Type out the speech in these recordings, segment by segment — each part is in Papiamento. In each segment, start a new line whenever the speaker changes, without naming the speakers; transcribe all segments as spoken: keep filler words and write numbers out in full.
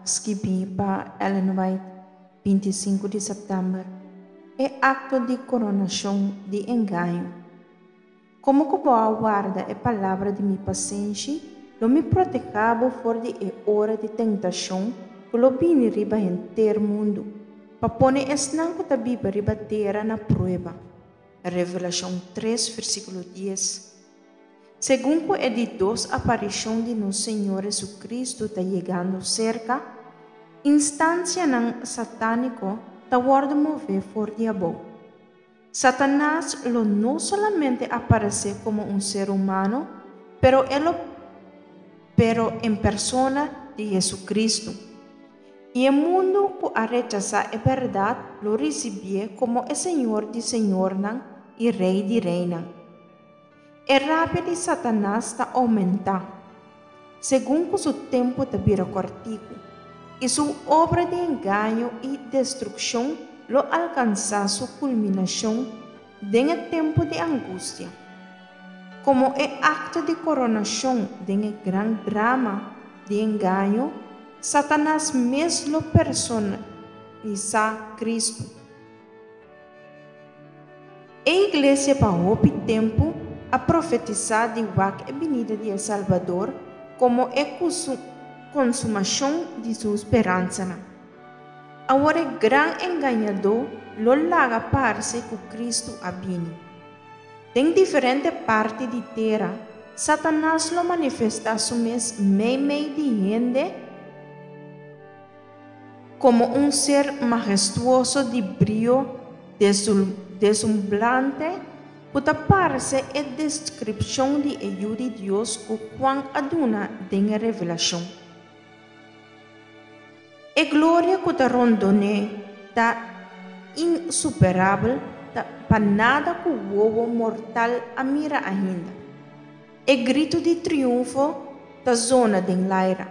Skibí pa Ellen White, binti sinku di sèptèmber. E akto di koronashon di engaño. Komo ku bo a warda e palabra di mi pasenshi, lo mi protehá bo for di e ora di tentashon ku lo bini riba henter mundu, pa pone esnan ku ta biba riba tera na prueba. Revelashon tres, versíkulo dies. Segun ku e di dos aparishon di nos Señor Jesucristo ta yegando serka, instansianan satániko ta wòrdu mové for di abou. Satanas lo no solamente aparesé komo un ser humano, pero e lo pero en persona di Jesucristo. I e mundu ku a rechasá e bèrdat lo risibié komo e Señor di señornan i Rei di reinan. E rabia di Satanas ta oumentá, segun ku su tempu ta bira kòrtiku, i su obra di engaño i destrukshon lo alkansá su kulminashon den e tempu di angustia. Komo e akto di koronashon den e gran drama di engaño, Satanas mes lo personalisá Kristu. E iglesia pa hopi tempu a profetisá di wak e binida di e Salbador komo e konsumashon di su speransanan. Awor e gran engañadó lo laga parse ku Kristu a bini. Den diferente parti di tera, Satanas lo manifestá su mes meimei di hende komo un ser mahestuoso di brio deslumbrante ku ta parse e deskripshon di e Yu di Dios ku Juan a duna den e Revelashon. E gloria ku ta rondon'é ta insuperabel pa nada ku wowo mortal a mira ainda. E gritu di triunfo ta zona den laira.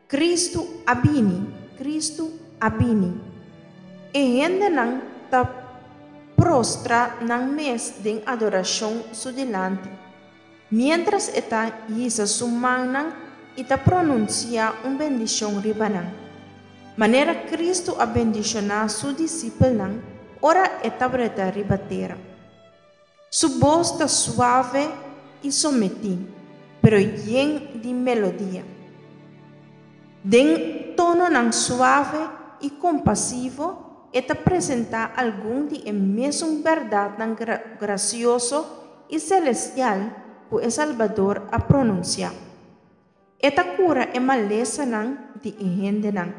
Kristu a bini, Kristu a bini. E hendenan ta prostra nan mes den adorashon su dilanti, miéntras e ta hisa su mannan i ta pronunsiá un bendishon riba nan, manera Kristu a bendishoná su disipelnan ora e tabata riba tera. Su bos ta suave i sometí, pero yen di melodia. Den tononan suave i kompasivo, e ta presentá algun di e mesun bèrdatnan grasioso i selestial ku e Salbador a pronunsiá. E ta kura e malesanan di e hendenan,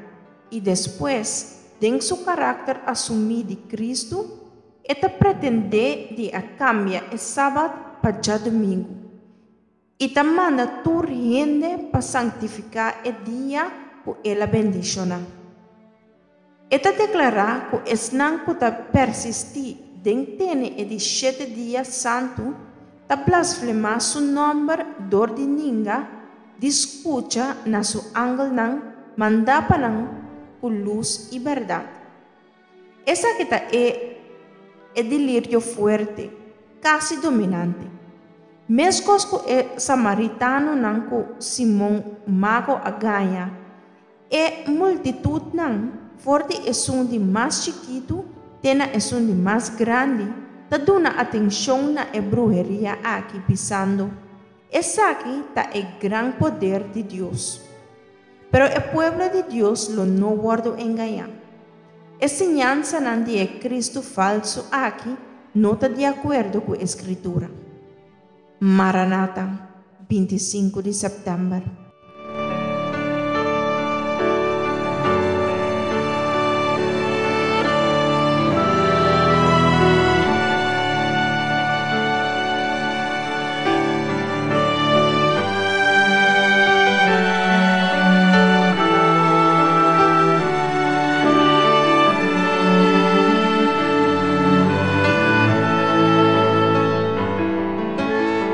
i despues, den su karakter asumí di Kristu, e ta pretendé di a kambia e sabat pa djadumingu, i ta manda tur hende pa sanktifiká e dia ku el a bendishoná. E ta deklará ku esnan ku ta persistí den tene e di shete dia santu ta blasfemá su nòmber dor di ninga di skucha na su angelnan mandá pa nan ku lus i bèrdat. Esaki ta e e delirio fuerte, kasi dominante. Meskos ku e samaritanonan ku Simon Mago a gaña, e multitutnan, for di esun di mas chikitu te na esun di mas grandi, ta duna atenshon na e bruheria aki, bisando, Esaki ta e gran poder di Dios. Pero e pueblo di Dios lo no wòrdu engañá. E siñansanan di e Kristu falsu aki no ta di akuerdo ku e Skritura. Maranata, binti sinku di sèptèmber.